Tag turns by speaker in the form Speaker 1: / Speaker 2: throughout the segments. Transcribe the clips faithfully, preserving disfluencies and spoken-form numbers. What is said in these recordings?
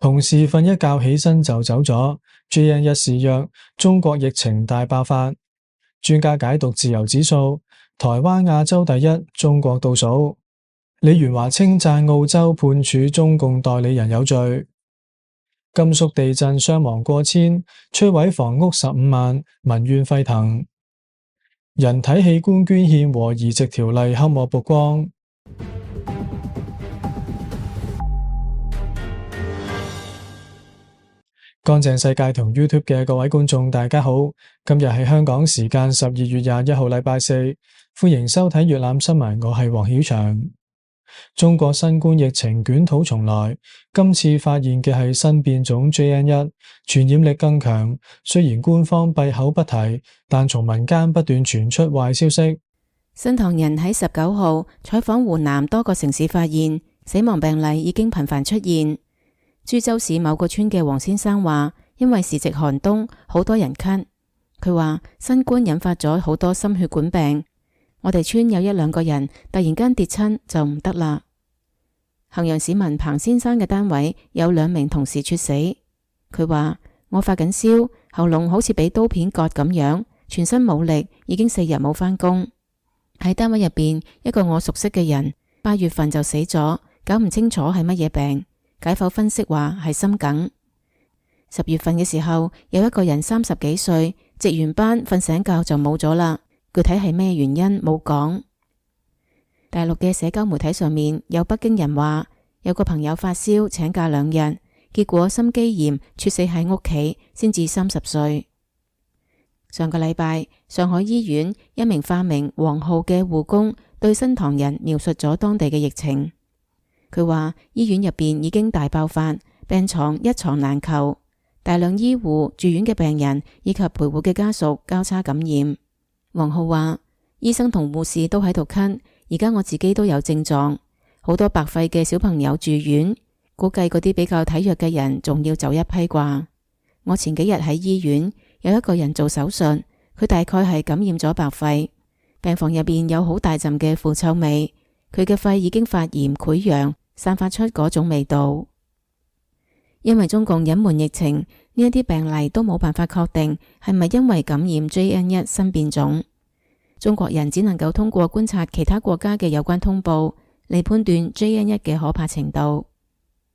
Speaker 1: 同事瞓一覺起身就走咗。J N 一肆虐，中國疫情大爆發。專家解讀自由指數，台灣亞洲第一，中國倒數。李元華稱讚澳洲判處中共代理人有罪。甘肅地震傷亡過千，摧毀房屋十五萬，民怨沸騰。人體器官捐獻和移植條例黑幕曝光。乾淨世界同 YouTube 嘅各位觀眾大家好，今日係香港時間十二月廿一號禮拜四，歡迎收睇粵覽新聞，我係黃曉翔。中國新冠疫情捲土重來，今次發現嘅係新變種 J N 一，傳染力更強。雖然官方閉口不提，但從民間不斷傳出壞消息。
Speaker 2: 新唐人喺十九號採訪湖南多個城市，發現死亡病例已經頻繁出現。株洲市某個村嘅黃先生話，因為時值寒冬，好多人咳。佢話新冠引發咗好多心血管病。我哋村有一兩個人突然間跌親就唔得啦。衡陽市民彭先生嘅單位有兩名同事猝死。佢話我發緊燒，喉嚨好似俾刀片割咁樣，全身冇力，已經四日冇返工。喺單位入邊，一個我熟悉嘅人八月份就死咗，搞唔清楚係乜嘢病，解剖分析話係心梗。十月份嘅時候，有一個人三十幾歲，值完班瞓醒覺就冇咗啦。具體係咩原因冇講。大陸嘅社交媒體上面有北京人話，有個朋友發燒請假兩日，結果心肌炎猝死喺屋企，先至三十歲。上個禮拜，上海醫院一名化名王浩嘅護工對新唐人描述咗當地嘅疫情。佢話醫院入邊已經大爆發，病床一床難求，大量醫護、住院嘅病人以及陪護嘅家屬交叉感染。王浩話，醫生同護士都喺度咳，而家我自己都有症狀，好多白肺嘅小朋友住院，估計嗰啲比較體弱嘅人仲要走一批啩。我前幾日喺醫院，有一個人做手術，佢大概係感染咗白肺，病房入邊有好大陣嘅腐臭味，佢嘅肺已經發炎潰瘍，散發出嗰種味道。因為中共隱瞞疫情，呢一啲病例都冇辦法確定係咪因為感染 J N 一 新變種。中國人只能夠通過觀察其他國家嘅有關通報嚟判斷 J N 一 嘅可怕程度。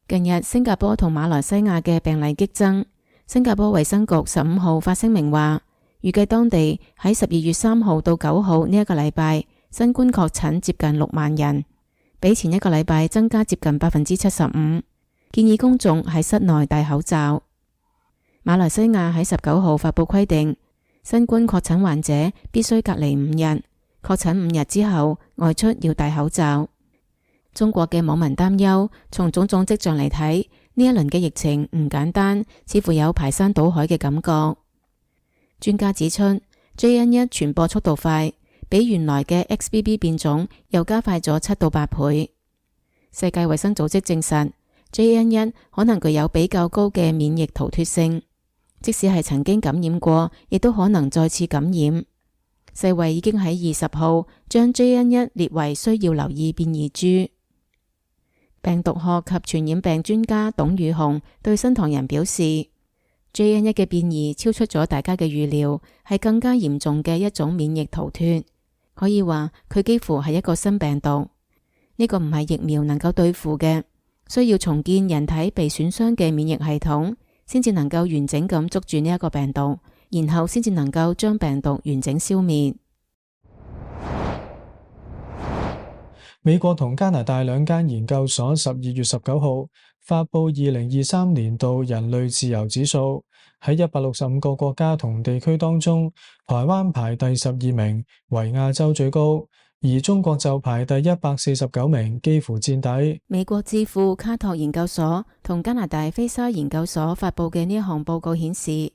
Speaker 2: 近日新加坡同馬來西亞嘅病例激增，新加坡衛生局十五號發聲明話，預計當地喺十二月三號到九號呢一個禮拜新冠確診接近六萬人，比前一個禮拜增加接近百分之七十五。建議公眾喺室內戴口罩。馬來西亞喺十九號發佈規定，新冠確診患者必須隔離五日，確診五日之後外出要戴口罩。中國嘅網民擔憂，從種種跡象嚟睇，呢一輪嘅疫情唔簡單，似乎有排山倒海嘅感覺。專家指出 ，J N 一 傳播速度快，比原來嘅 X B B 變種又加快咗七到八倍。世界衛生組織證實，J N 一 可能具有比較高嘅免疫逃脫性，即使係曾經感染過，亦都可能再次感染。世衛已經喺二十號將 J N 一 列為需要留意變異株。病毒學及傳染病專家董宇紅對新唐人表示 ，J N 一 嘅變異超出咗大家嘅預料，係更加嚴重嘅一種免疫逃脫。可以話佢幾乎係一個新病毒，呢個唔係疫苗能夠對付嘅。需要重建人體被損傷嘅免疫系統，先至能夠完整咁捉住呢一個病毒，然後先至能夠將病毒完整消滅。
Speaker 1: 美國同加拿大兩間研究所十二月十九號發佈二零二三年度人類自由指數，喺一百六十五個國家同地區當中，台灣排第十二名，為亞洲最高。而中國就排第一百四十九名，幾乎墊底。
Speaker 2: 美國智庫卡托研究所同加拿大菲沙研究所發佈嘅呢一項報告顯示，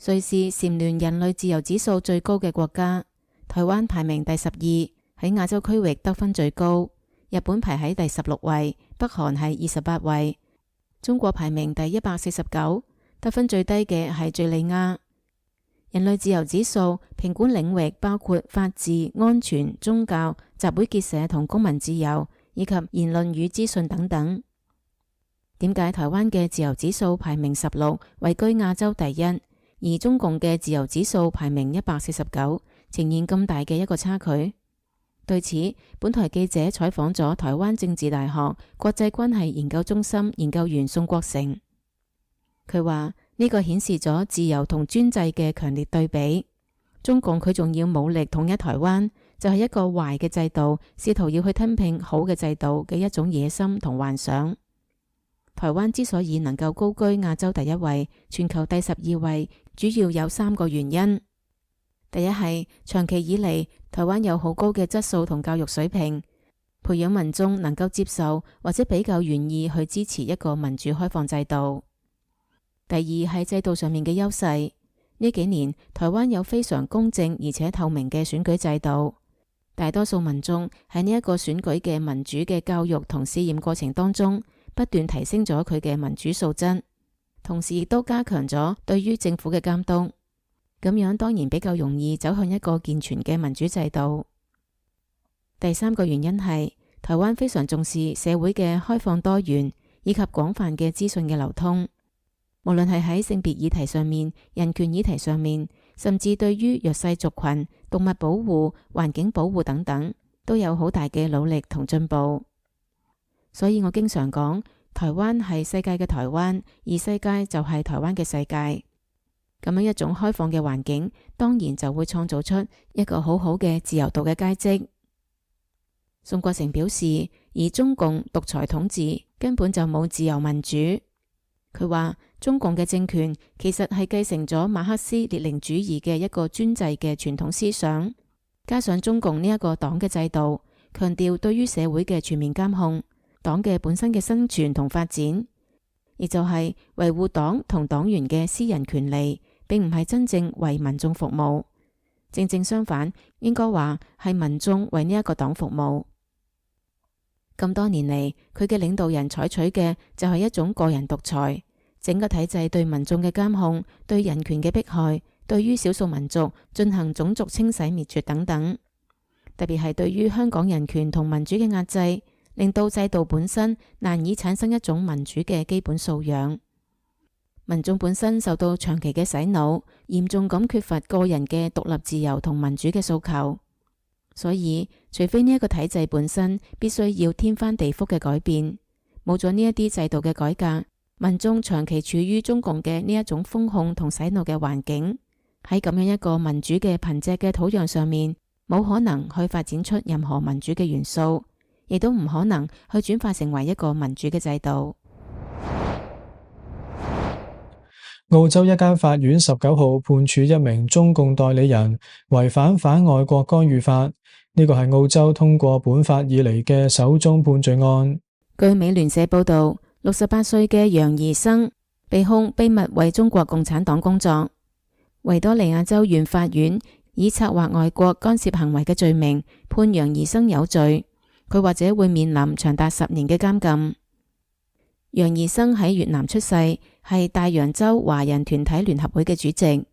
Speaker 2: 瑞士蟬聯人類自由指數最高嘅國家，台灣排名第十二，喺亞洲區域得分最高。日本排喺第十六位，北韓係二十八位，中國排名第一百四十九，得分最低嘅係敘利亞。人類自由指數評估領域包括法治、安全、宗教、集會結社同公民自由，以及言論與資訊等等。點解台灣嘅自由指數排名十六，位居亞洲第一，而中共嘅自由指數排名一百四十九，呈現咁大嘅一個差距？對此，本台記者採訪咗台灣政治大學國際關係研究中心研究員宋國成，佢話呢個顯示咗自由同專制嘅強烈對比。中共佢仲要武力統一台灣，就係一個壞嘅制度，試圖要去吞併好嘅制度嘅一種野心同幻想。台灣之所以能夠高居亞洲第一位、全球第十二位，主要有三個原因。第一係長期以嚟，台灣有好高嘅質素同教育水平，培養民眾能夠接受或者比較願意去支持一個民主開放制度。第二係制度上面嘅優勢。呢幾年，台灣有非常公正而且透明嘅選舉制度，大多數民眾喺呢一個選舉嘅民主嘅教育同試驗過程當中，不斷提升咗佢嘅民主素質，同時亦都加強咗對於政府嘅監督。咁樣當然比較容易走向一個健全嘅民主制度。第三個原因係台灣非常重視社會嘅開放多元以及廣泛嘅資訊嘅流通，無論係喺性別議題上面、人權議題上面，甚至對於弱勢族群、動物保護、環境保護等等，都有好大嘅努力同進步。所以我經常講，台灣係世界嘅台灣，而世界就係台灣嘅世界。咁樣一種開放嘅環境，當然就會創造出一個好好嘅自由度嘅階級。宋國成表示，而中共獨裁統治根本就冇自由民主。佢話中共嘅政權其實係繼承咗馬克思列寧主義嘅一個專制嘅傳統思想，加上中共呢一個黨嘅制度，強調對於社會嘅全面監控，黨嘅本身嘅生存同發展，亦就係維護黨同黨員嘅私人權利，並唔係真正為民眾服務。正正相反，應該話係民眾為呢一個黨服務。咁多年嚟，佢嘅領導人採取嘅就係一種個人獨裁，整個體制對民眾嘅監控、對人權嘅迫害、對於少數民族進行種族清洗滅絕等等，特別係對於香港人權同民主嘅壓制，令到制度本身難以產生一種民主嘅基本素養。民眾本身受到長期嘅洗腦，嚴重咁缺乏個人嘅獨立自由同民主嘅訴求。所以，除非呢一個體制本身必須要天翻地覆嘅改變，冇咗呢一啲制度嘅改革，民眾長期處於中共嘅呢一種封控同洗腦嘅環境，喺咁樣一個民主嘅貧瘠嘅土壤上面，冇可能去發展出任何民主嘅元素，亦都唔可能去轉化成為一個民主嘅制度。
Speaker 1: 澳洲一間法院十九號判處一名中共代理人違反反外國干預法，呢個係澳洲通過本法以嚟嘅首宗判罪案。
Speaker 2: 據美聯社報道，六十八歲嘅楊怡生被控秘密為中國共產黨工作。維多利亞州縣法院以策劃外國干涉行為嘅罪名判楊怡生有罪，佢或者會面臨長達十年嘅監禁。楊怡生喺越南出世，係大洋洲華人團體聯合會嘅主席。呢、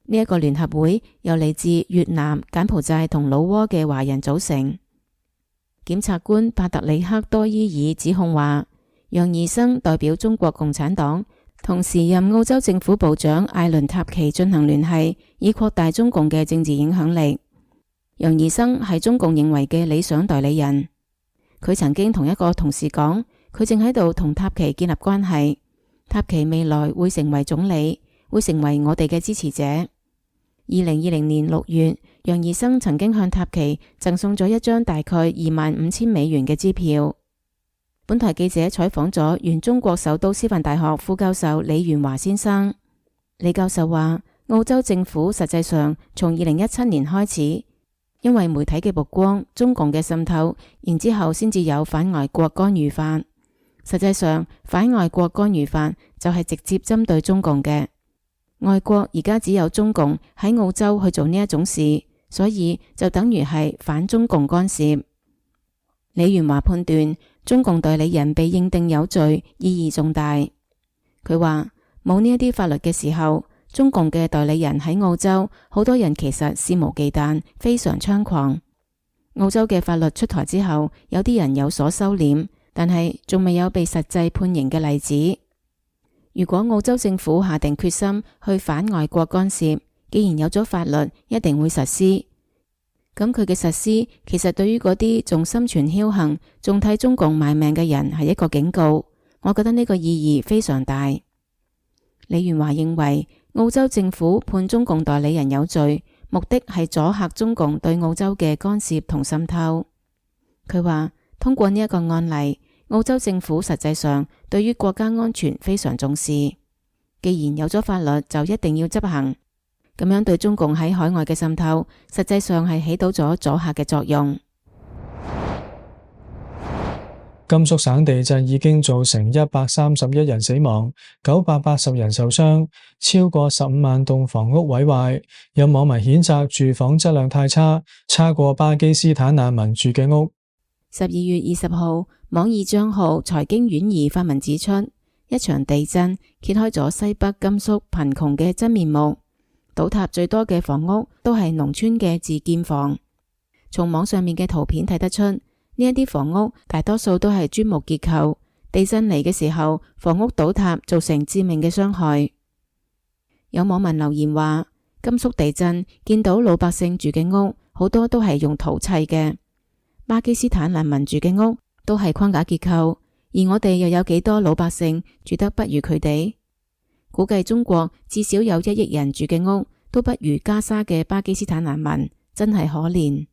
Speaker 2: 這、一個聯合會由嚟自越南、柬埔寨同老撾嘅華人組成。檢察官帕特里克多伊爾指控話，楊怡生代表中國共產黨同時任澳洲政府部長艾倫塔奇進行聯繫，以擴大中共嘅政治影響力。楊怡生係中共認為嘅理想代理人。佢曾經同一個同事講，佢正喺度同塔奇建立關係，塔奇未來會成為總理，會成為我哋嘅支持者。二零二零年六月，楊怡生曾經向塔奇贈送咗一張大概二萬五千美元嘅支票。本台記者採訪咗原中國首都師範大學副教授李元華先生。李教授話，澳洲政府實際上從二零一七年開始，因為媒體嘅曝光、中共嘅滲透，然之後先至有反外國干預法。實際上，反外國干預法就係直接針對中共嘅。外國而家只有中共喺澳洲去做呢一種事，所以就等於係反中共干涉。李元華判斷中共代理人被認定有罪，意義重大。佢話冇呢一啲法律嘅時候，中共嘅代理人喺澳洲，好多人其實肆無忌憚，非常猖狂。澳洲嘅法律出台之後，有啲人有所收斂。但係仲未有被實際判刑嘅例子。如果澳洲政府下定決心去反外國干涉，既然有咗法律，一定會實施。咁佢嘅實施其實對於嗰啲仲心存僥倖、仲替中共賣命嘅人係一個警告。我覺得呢個意義非常大。李元華認為澳洲政府判中共代理人有罪，目的係阻嚇中共對澳洲嘅干涉同滲透。佢話通過呢一個案例，澳洲政府實際上對於國家安全非常重視。既然有咗法律，就一定要執行。咁樣對中共喺海外嘅滲透，實際上係起到咗阻嚇嘅作用。
Speaker 1: 甘肅省地震已經造成一百三十一人死亡，九百八十人受傷，超過十五萬棟房屋毀壞。有網民譴責住房質量太差，差過巴基斯坦難民住嘅屋。
Speaker 2: 十二月二十號，網易賬號財經婉兒發文指出，一場地震揭開咗西北甘肅貧窮嘅真面目。倒塌最多嘅房屋都係農村嘅自建房。從網上面嘅圖片睇得出，呢一啲房屋大多數都係磚木結構，地震嚟嘅時候，房屋倒塌造成致命嘅傷害。有網民留言話，甘肅地震見到老百姓住嘅屋好多都係用土砌嘅，巴基斯坦難民住嘅屋都係框架結構，而我哋又有幾多老百姓住得不如佢哋？估計中國至少有一億人住嘅屋都不如加沙嘅巴基斯坦難民，真係可憐。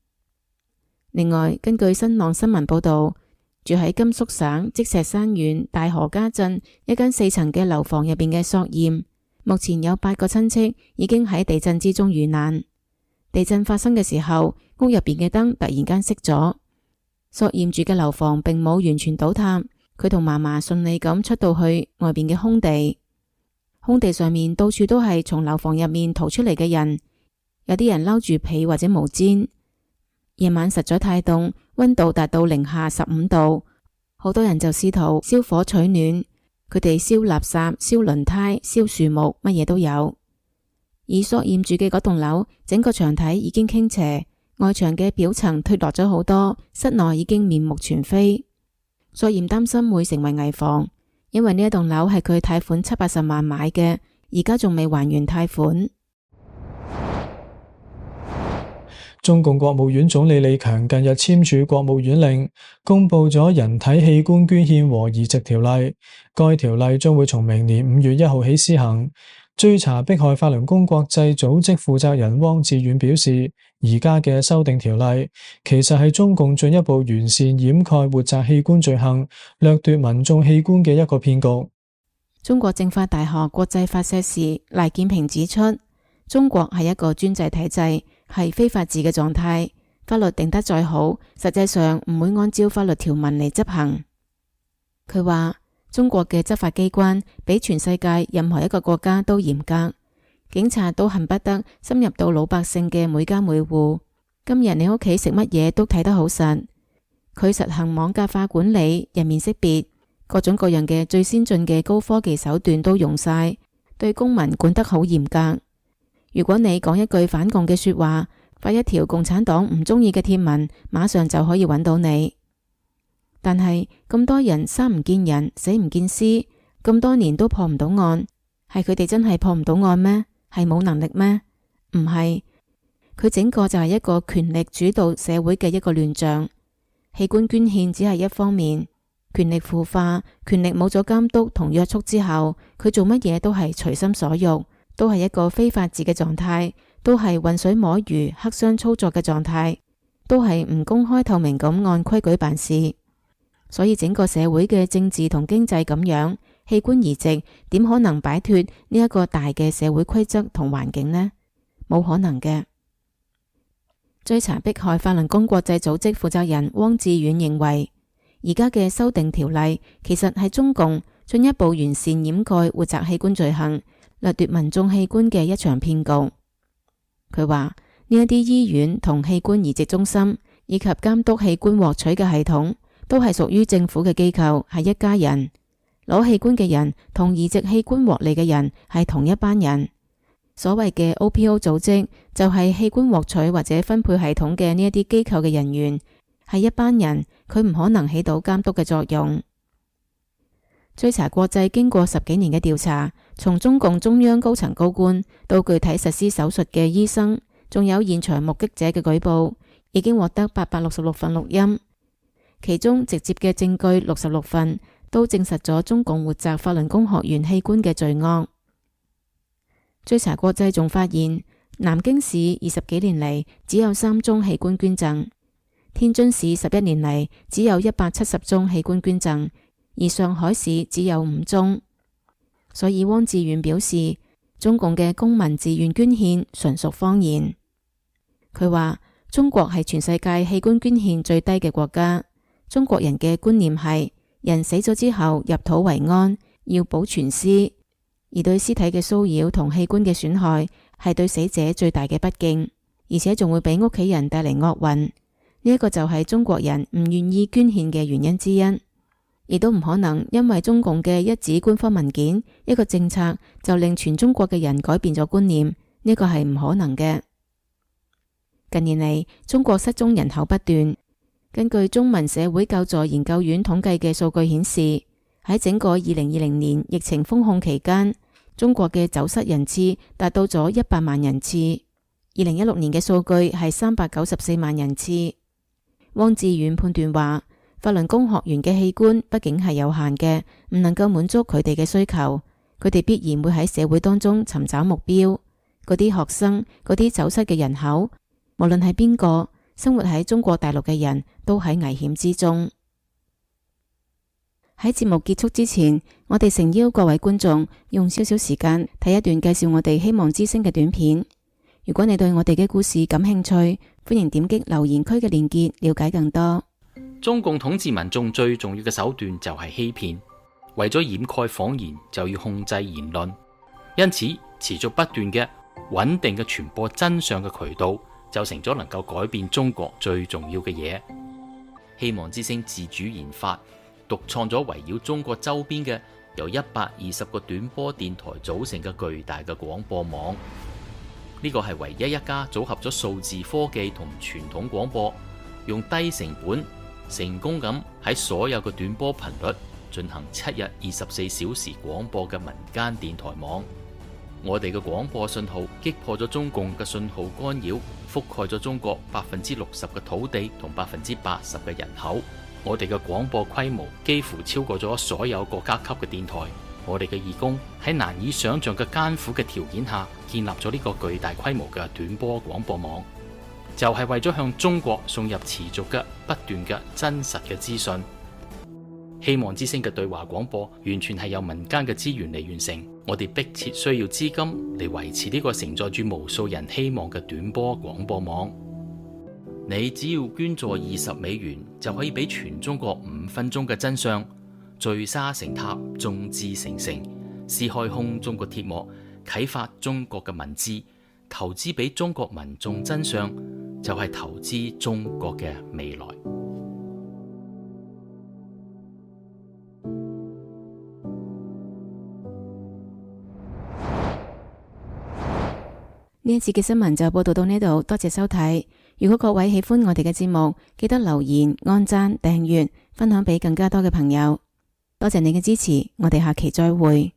Speaker 2: 另外，根據新浪新聞報道，住喺甘肅省積石山縣大河家鎮一間四層嘅樓房入邊嘅索艷，目前有八個親戚已經喺地震之中遇難。地震發生嘅時候，屋入邊嘅燈突然間熄咗。索艷住嘅樓房並冇完全倒塌，佢同嫲嫲順利咁出到去外邊嘅空地。空地上面到處都係從樓房入面逃出嚟嘅人，有啲人撈住被或者毛氈。夜晚實在太凍，溫度達到零下十五度，好多人就試圖燒火取暖。佢哋燒垃圾、燒輪胎、燒樹木，乜嘢都有。而索艷住嘅嗰棟樓，整個牆體已經傾斜，外牆嘅表層脫落咗好多，室內已經面目全非。索艷擔心會成為危房。因為呢一棟樓係佢貸款七八十萬買嘅，而家仲未還完貸款。
Speaker 1: 中共國務院總理李強近日簽署國務院令，公布咗人體器官捐獻和移植條例。該條例將會從明年五月一號起施行。追查迫害法輪功國際組織負責人汪志遠表示，而家嘅修訂條例其實係中共進一步完善掩蓋活摘器官罪行、掠奪民眾器官嘅一個騙局。
Speaker 2: 中國政法大學國際法碩士賴建平指出，中國係一個專制體制，係非法治嘅狀態。法律定得再好，實際上唔會按照法律條文嚟執行。佢話，中國嘅執法機關比全世界任何一個國家都嚴格，警察都恨不得深入到老百姓嘅每家每戶。今日你屋企食乜嘢都睇得好實。佢實行網格化管理、人面識別，各種各樣嘅最先進嘅高科技手段都用晒，對公民管得好嚴格。如果你講一句反共嘅說話，發一條共產黨唔中意嘅貼文，馬上就可以揾到你。但係咁多人生唔見人，死唔見屍，咁多年都破唔到案，係佢哋真係破唔到案咩？係冇能力咩？唔係，佢整個就係一個權力主導社會嘅一個亂象。器官捐獻只係一方面，權力腐化，權力冇咗監督同約束之後，佢做乜嘢都係隨心所欲，都係一個非法治嘅狀態，都係渾水摸魚、黑箱操作嘅狀態，都係唔公開透明咁按規矩辦事。所以整個社會嘅政治同經濟咁樣，器官移植點可能擺脫呢一個大嘅社會規則同環境呢？冇可能嘅。追查迫害法輪功國際組織負責人汪志遠認為，而家嘅修訂條例其實係中共進一步完善掩蓋活摘器官罪行、掠奪民眾器官嘅一場騙局。佢話呢一啲醫院同器官移植中心以及監督器官獲取嘅系統，都係屬於政府嘅機構，係一家人。攞器官嘅人同移植器官獲利嘅人係同一班人。所謂嘅 O P O 組織就係器官獲取或者分配系統嘅呢一啲機構嘅人員，係一班人，佢唔可能起到監督嘅作用。追查國際經過十幾年嘅調查，從中共中央高層高官到具體實施手術嘅醫生，仲有現場目擊者嘅舉報，已經獲得八百六十六份錄音，其中直接嘅證據六十六份都證實咗中共活摘法輪功學員器官嘅罪惡。追查國際仲發現，南京市二十幾年嚟只有三宗器官捐贈，天津市十一年嚟只有一百七十宗器官捐贈，而上海市只有五宗。所以汪志遠表示，中共嘅公民自願捐獻純屬謊言。佢話中國係全世界器官捐獻最低嘅國家，中國人嘅觀念係人死咗之後入土為安，要保存屍。而對屍體嘅騷擾同器官嘅損害係對死者最大嘅不敬，而且仲會俾屋企人帶嚟厄運。呢一個就係中國人唔願意捐獻嘅原因之一，亦都唔可能因為中共嘅一紙官方文件、一個政策就令全中國嘅人改變咗觀念，呢個係唔可能嘅。近年嚟，中國失蹤人口不斷。根據中文社會救助研究院統計嘅數據顯示，喺整個二零二零年疫情封控期間，中國嘅走失人次達到咗一百萬人次。二零一六年嘅數據係三百九十四萬人次。汪志遠判斷話，法輪功學員嘅器官畢竟係有限嘅，唔能夠滿足佢哋嘅需求，佢哋必然會喺社會當中尋找目標。嗰啲學生，嗰啲走失嘅人口，無論係邊個，生活喺中國大陸嘅人都喺危險之中。喺節目結束之前，我哋誠邀各位觀眾用少少時間睇一段介紹我哋希望之聲嘅短片。如果你對我哋嘅故事感興趣，歡迎點擊留言區嘅連結了解更多。
Speaker 3: 中共統治民眾最重要嘅手段就係欺騙，為咗掩蓋謊言就要控制言論，因此持續不斷嘅穩定嘅傳播真相嘅渠道就成咗能夠改變中國最重要嘅嘢。希望之聲自主研發獨創咗圍繞中國周邊嘅由一百二十個短波電台組成嘅巨大嘅廣播網，呢個係唯一一家組合咗數字科技同傳統廣播，用低成本成功咁喺所有嘅短波頻率進行七日二十四小時廣播嘅民間電台網。我哋嘅廣播信號擊破咗中共嘅信號干擾，覆蓋咗中國百分之六十嘅土地同百分之八十嘅人口。我哋嘅廣播規模幾乎超過咗所有國家級嘅電台。我哋嘅義工喺難以想象嘅艱苦嘅條件下，建立咗呢個巨大規模嘅短波廣播網，就係為咗向中國送入持續嘅不斷嘅真實嘅資訊。希望之聲嘅對話廣播完全係由民間嘅資源嚟完成，我哋迫切需要資金嚟維持呢個承載住無數人希望嘅短波廣播網。你只要捐助二十美元，就可以俾全中國五分鐘嘅真相，聚沙成塔，眾志成城，撕開空中嘅鐵幕，啟發中國嘅文字，投資俾中國民眾真相，就係投資中國嘅未來。
Speaker 2: 呢一次嘅新聞就報道到呢度，多謝收睇。如果各位喜歡我哋嘅節目，記得留言、按讚、訂閱、分享俾更加多嘅朋友。多謝你嘅支持，我哋下期再會。